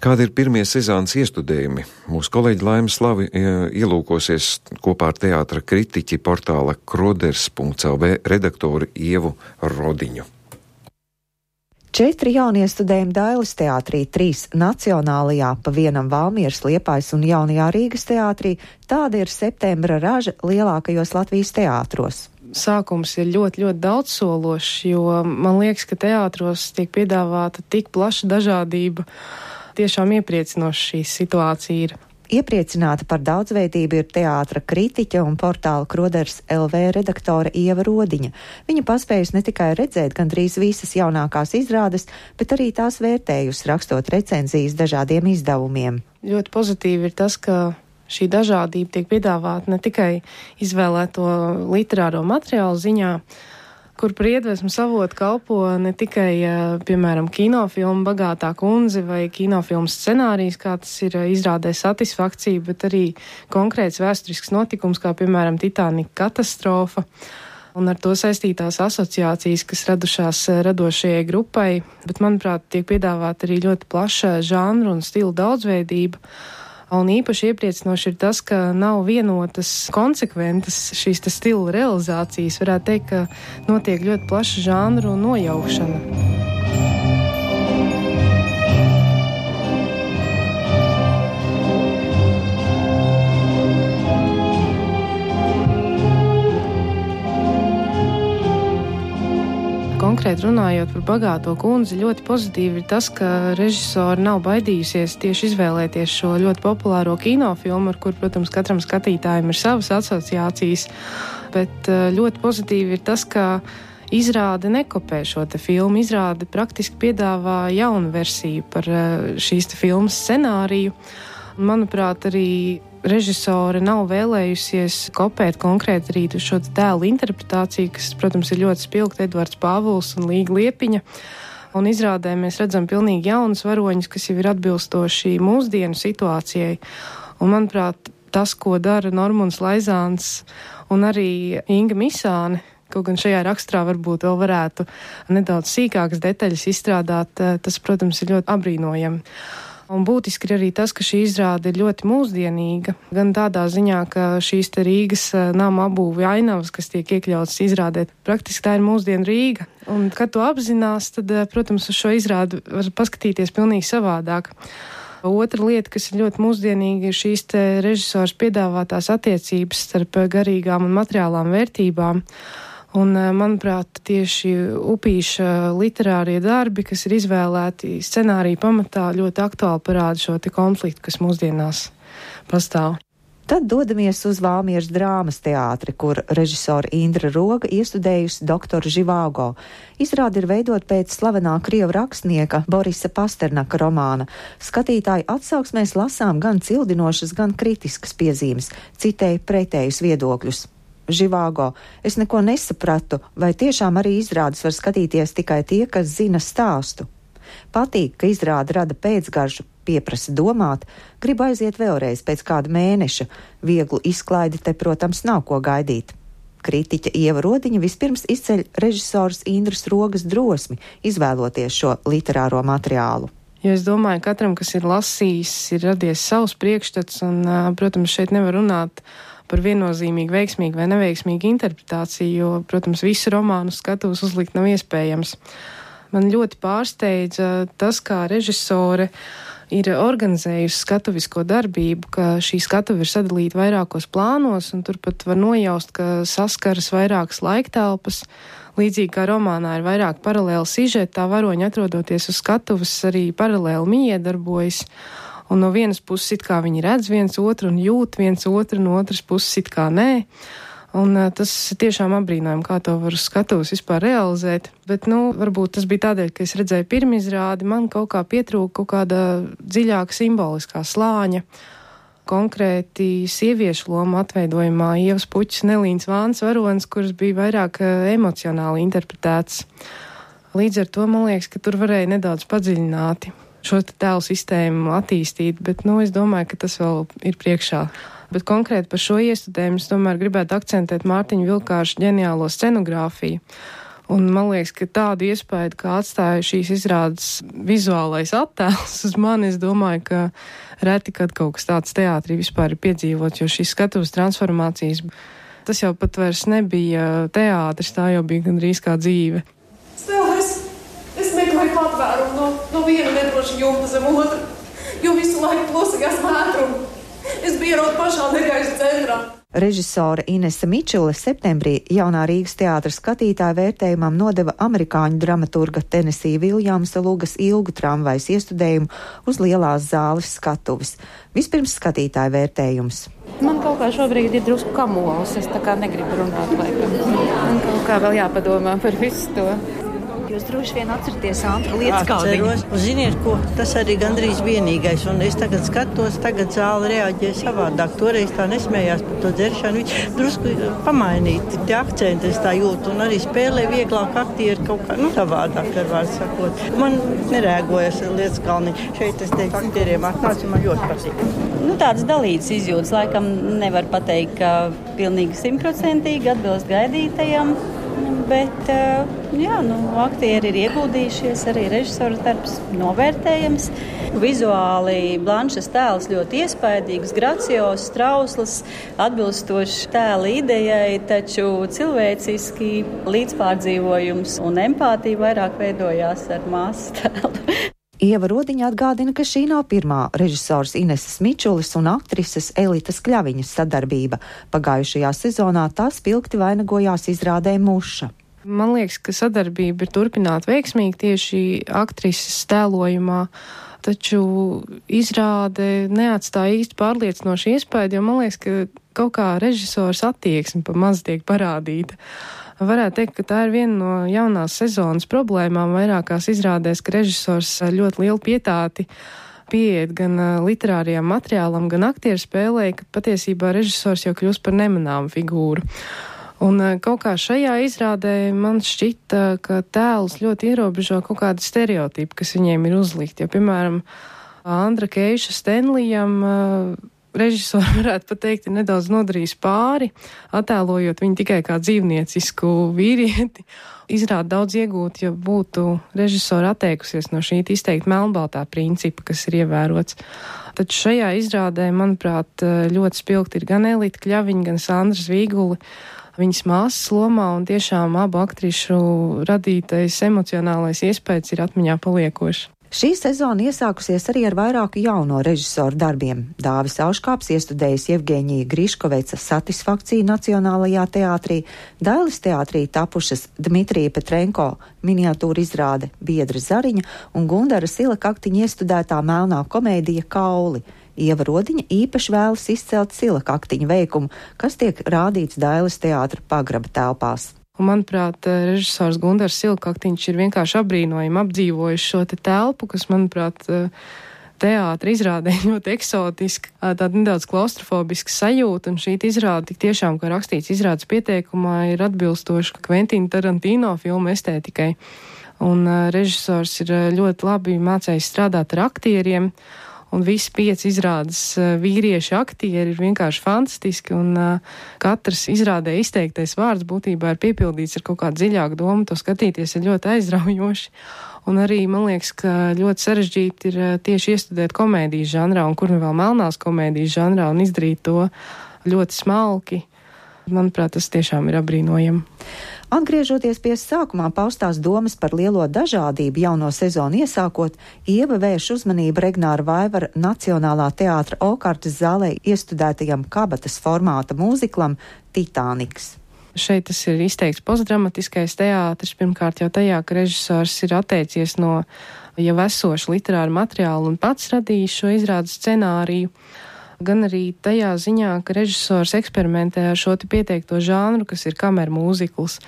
Kādi ir pirmie sezonas iestudējumi? Mūsu kolēģi Laima Slavi ielūkosies kopā ar teātra kritiķi portāla kroders.lv redaktoru Ievu Rodiņu. 4 jauniestudējumi Dailes teātrī, 3 Nacionālajā, pa vienam Valmieras, Liepājas un Jaunajā Rīgas teātrī. Tāda ir septembra raža lielākajos Latvijas teātros. Sākums ir ļoti, ļoti daudzsološs, jo man liekas, ka teātros tiek piedāvāta tik plaša dažādība. Tiešām iepriecinoši šī situācija ir. Iepriecināta par daudzveidību ir teātra kritiķe un portāla Kroders LV redaktore Ieva Rodiņa. Viņa paspējusi ne tikai redzēt gandrīz visas jaunākās izrādes, bet arī tās vērtējusi, rakstot recenzijas dažādiem izdevumiem. Ļoti pozitīvi ir tas, ka šī dažādība tiek piedāvāta ne tikai izvēlēto literāro materiālu ziņā, kur par iedvesmu savotu kalpo ne tikai, piemēram, kinofilmu Bagātā kundze vai kinofilmu scenārijs, kā tas ir izrādē Satisfakcija, bet arī konkrēts vēsturisks notikums, kā, piemēram, Titanika katastrofa, un ar to saistītās asociācijas, kas radušās radošajai grupai, bet, manuprāt, tiek piedāvāta arī ļoti plaša žanru un stilu daudzveidība. Un īpaši iepriecinoši ir tas, ka nav vienotas konsekventas šīs stila realizācijas. Varētu teikt, ka notiek ļoti plaša žanru nojaukšana. Konkrēti runājot par Bagāto kundzi, ļoti pozitīvi ir tas, ka režisori nav baidījusies tieši izvēlēties šo ļoti populāro kinofilmu, ar kur, protams, katram skatītājam ir savas asociācijas, bet ļoti pozitīvi ir tas, ka izrāde nekopē šo te filmu, izrāde praktiski piedāvā jaunu versiju par šīs te filmas scenāriju. Manuprāt, arī režisore nav vēlējusies kopēt konkrēti arī šo tēlu interpretāciju, kas, protams, ir ļoti spilgta, Edvards Pāvuls un Līga Liepiņa. Un izrādē mēs redzam pilnīgi jaunus varoņus, kas jau ir atbilstoši mūsdienu situācijai. Un, manuprāt, tas, ko dara Normunds Laizāns un arī Inga Misāne, kaut gan šajā raksturā varbūt vēl varētu nedaudz sīkākas detaļas izstrādāt, tas, protams, ir ļoti apbrīnojami. Un būtiski ir arī tas, ka šī izrāde ir ļoti mūsdienīga, gan tādā ziņā, ka šīs te Rīgas nama apbūve ainavas, kas tiek iekļautas izrādē, praktiski tā ir mūsdienu Rīga. Un, kad to apzinās, tad, protams, uz šo izrādi var paskatīties pilnīgi savādāk. Otra lieta, kas ir ļoti mūsdienīga, ir šīs te režisors piedāvātās attiecības starp garīgām un materiālām vērtībām. Un, manuprāt, tieši Upīša literārie darbi, kas ir izvēlēti scenārija pamatā, ļoti aktuāli parāda šo te konfliktu, kas mūsdienās pastāv. Tad dodamies uz Valmieras drāmas teātri, kur režisora Indra Roga iestudējusi doktoru Živāgo. Izrāde ir veidot pēc slavenā krievu rakstnieka Borisa Pasternaka romāna. Skatītāju atsauksmēs lasām gan cildinošas, gan kritiskas piezīmes, citēja pretējus viedokļus. Živāgo, es neko nesapratu, vai tiešām arī izrādes var skatīties tikai tie, kas zina stāstu. Patīk, ka izrāde rada pēcgaršu, pieprasa domāt, gribu aiziet vēlreiz pēc kāda mēneša. Vieglu izklaidi te, protams, nav ko gaidīt. Kritiķe Ieva Rodiņa vispirms izceļ režisors Indras Rogas drosmi, izvēloties šo literāro materiālu. Jo es domāju, katram, kas ir lasījis, ir radies savs priekšstats, un, protams, šeit nevar runāt par viennozīmīgi veiksmīgu vai neveiksmīgu interpretāciju, jo, protams, visu romānu skatos uzlikt nav iespējams. Man ļoti pārsteidza tas, kā režisore ir organizējusi skatuvisko darbību, ka šī skatuve ir sadalīta vairākos plānos, un turpat var nojaust, ka saskaras vairākas laiktelpas. Līdzīgi kā romānā ir vairāk paralēli sižeti, tā varoņi atrodoties uz skatuves arī paralēli miedarbojas. Un no vienas puses it kā viņi redz viens otru un jūt viens otru, no otras puses it kā nē. Un tas tiešām apbrīnojami, kā to var uz skatuves vispār realizēt. Bet, varbūt tas bija tādēļ, ka es redzēju pirmizrādi, man kaut kā pietrūka kaut kāda dziļāka simboliskā slāņa. Konkrēti sieviešu loma atveidojumā Ievas Puķis Nelīns Vāns varonis, kuras bija vairāk emocionāli interpretēts. Līdz ar to man liekas, ka tur varēja nedaudz padziļināti šo tēlu sistēmu attīstīt, bet, es domāju, ka tas vēl ir priekšā. Bet konkrēti par šo iestudējumu es tomēr gribētu akcentēt Mārtiņa Vilkārša ģeniālo scenogrāfiju. Un man liekas, ka tādu iespēju, kā atstāja šīs izrādes vizuālais attēls uz mani, es domāju, ka reti, kad kaut kas tāds teātrī vispār ir piedzīvots, jo šīs skatuves transformācijas, tas jau pat vairs nebija teātris, tā jau bija gandrīz kā dzīve. Es meklēju patvērumu no viena nedroša jumta zem otra, jo visu laiku plosījās mētrumu. Es biju ierot pašā negaiša centrā. Režisore Inese Mičule septembrī Jaunā Rīgas teātra skatītāju vērtējumam nodeva amerikāņu dramaturga Tenesī Viljamsa Lugas ilgu tramvajas iestudējumu uz lielās zāles skatuves. Vispirms skatītāju vērtējums. Man kaut kā šobrīd ir drusku kamols, es tā kā negribu runāt laikam. Man kaut kā vēl jāpadomā par visu to. Jūs droši vien atceraties Antra lietas Atceros, un ziniet ko, tas arī gandrīz vienīgais, un es tagad skatos, tagad zāle reaģē savādāk, toreiz tā nesmējās par to dzeršanu, drusku pamainīt, tie akcenti es tā jūtu, un arī spēlē vieglāk aktieri kaut kā, savādāk, ar vārdu sakot. Man nerēgojas lietas kalni, šeit es teiktu, aktieriem atnāc, man ļoti patīk. Tādas dalītas izjūtas, laikam nevar pateikt, ka pilnīgi 100% atbilst gaidītajam. Bet, aktieri ir ieguldījušies, arī režisora darbs novērtējams. Vizuāli Blanšas tēls ļoti iespaidīgs, gracios, trausls, atbilstošs tēla idejai, taču cilvēciski līdzpārdzīvojums un empātija vairāk veidojās ar māsas tēlu. Ieva Rodiņa atgādina, ka šī nav pirmā režisors Ineses Mičules un aktrises Elitas Kļaviņas sadarbība. Pagājušajā sezonā tā spilgti vainagojās izrādē Muša. Man liekas, ka sadarbība ir turpināta veiksmīgi tieši aktrises tēlojumā, taču izrāde neatstāja īsti pārliecinošu iespēju, jo man liekas, ka kaut kā režisors attieksme pa maz tiek parādīta. Varētu teikt, ka tā ir viena no jaunās sezonas problēmām vairākās izrādēs, ka režisors ļoti lielu pietāti pieiet gan literārajam materiālam, gan aktieru spēlē, ka patiesībā režisors jau kļūst par nemanāmu figūru. Un kaut kā šajā izrādē man šķita, ka tēls ļoti ierobežo kaut kādu stereotipu, kas viņiem ir uzlikt. Jo, piemēram, Andra Keiša Stenlijam režisori varētu pat teikt, ir nedaudz nodarījis pāri, attēlojot viņu tikai kā dzīvniecisku vīrieti. Izrāda daudz iegūt, ja būtu režisori atteikusies no šī izteikti melnbaltā principa, kas ir ievērots. Taču šajā izrādē, manuprāt, ļoti spilgti ir gan Elita Kļaviņa, gan Sandra Zvīguli, viņas māsas lomā, un tiešām abu aktrišu radītais emocionālais iespējas ir atmiņā paliekošs. Šī sezona iesākusies arī ar vairāku jauno režisoru darbiem. Dāvis Auškāps iestudējis Jevgeņija Griškoveca Satisfakciju Nacionālajā teātrī, Dailes teātrī tapušas Dmitrija Petrenko miniatūra izrāde Biedra Zariņa un Gundara Silakaktiņa iestudētā melnā komēdija Kauli. Ieva Rodiņa īpaši vēlas izcelt Silakaktiņa veikumu, kas tiek rādīts Dailes teātra pagraba telpās. Un, manuprāt, režisors Gundars Silakaktiņš ir vienkārši apbrīnojami apdzīvojis šo te telpu, kas, manuprāt, teātra izrādē ļoti eksotiska, tāda nedaudz klaustrofobiska sajūta, un šī izrāde tik tiešām, kā rakstīts izrādes pieteikumā, ir atbilstoša Kventina Tarantino filmu estētikai. Un režisors ir ļoti labi mācējis strādāt ar aktieriem, un visi 5 izrādes vīrieši aktieri ir vienkārši fantastiski, un katrs izrādē izteiktais vārds būtībā ir piepildīts ar kaut kādu dziļāku domu, to skatīties ir ļoti aizraujoši. Un arī, man liekas, ka ļoti sarežģīti ir tieši iestudēt komēdijas žanrā, un kur nu vēl melnās komēdijas žanrā, un izdarīt to ļoti smalki. Manuprāt, tas tiešām ir apbrīnojami. Atgriežoties pie sākumā paustās domas par lielo dažādību jauno sezonu iesākot, Ieva vērš uzmanību Regnāra Vaivara Nacionālā teātra Okartas zālē iestudētajam kabatas formāta mūziklam Titāniks. Šeit tas ir izteikts postdramatiskais teātris, pirmkārt jau tajā, ka režisors ir atteicies no jau esoša literāra materiāla un pats radījis šo izrādes scenāriju. Gan arī tajā ziņā, ka režisors eksperimentē ar šo pieteikto žānru, kas ir kameru mūzikls.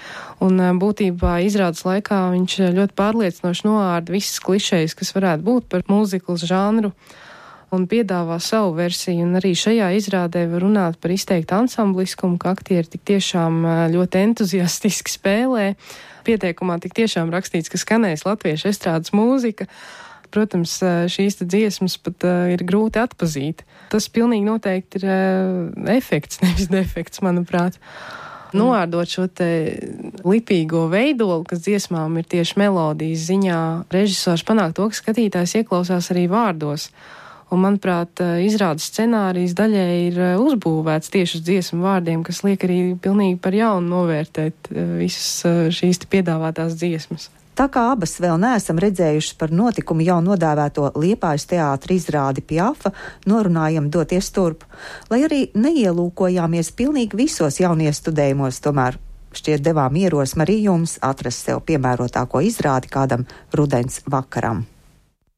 Un būtībā izrādes laikā viņš ļoti pārliecinoši noārda visas klišejas, kas varētu būt par mūzikls žānru, un piedāvā savu versiju. Un arī šajā izrādē var runāt par izteiktu ansambliskumu, ka aktieri tik tiešām ļoti entuziastiski spēlē. Pieteikumā tik tiešām rakstīts, ka skanēs latviešu estrādes mūzika. Protams, šīs dziesmas pat ir grūti atpazīt. Tas pilnīgi noteikti ir efekts, nevis defekts, manuprāt. Noārdot šo te lipīgo veidolu, kas dziesmām ir tieši melodijas ziņā, režisors panāk to, ka skatītājs ieklausās arī vārdos. Un, manuprāt, izrādes scenārijas daļai ir uzbūvēts tieši uz dziesmu vārdiem, kas liek arī pilnīgi par jaunu novērtēt visas šīs piedāvātās dziesmas. Tā kā abas vēl neesam redzējušas par notikumu jau nodēvēto Liepājas teātra izrādi Piafa, norunājam doties turp. Lai arī neielūkojāmies pilnīgi visos jauniestudējumos, tomēr šķiet devām ierosmi arī jums atrast sev piemērotāko izrādi kādam rudens vakaram.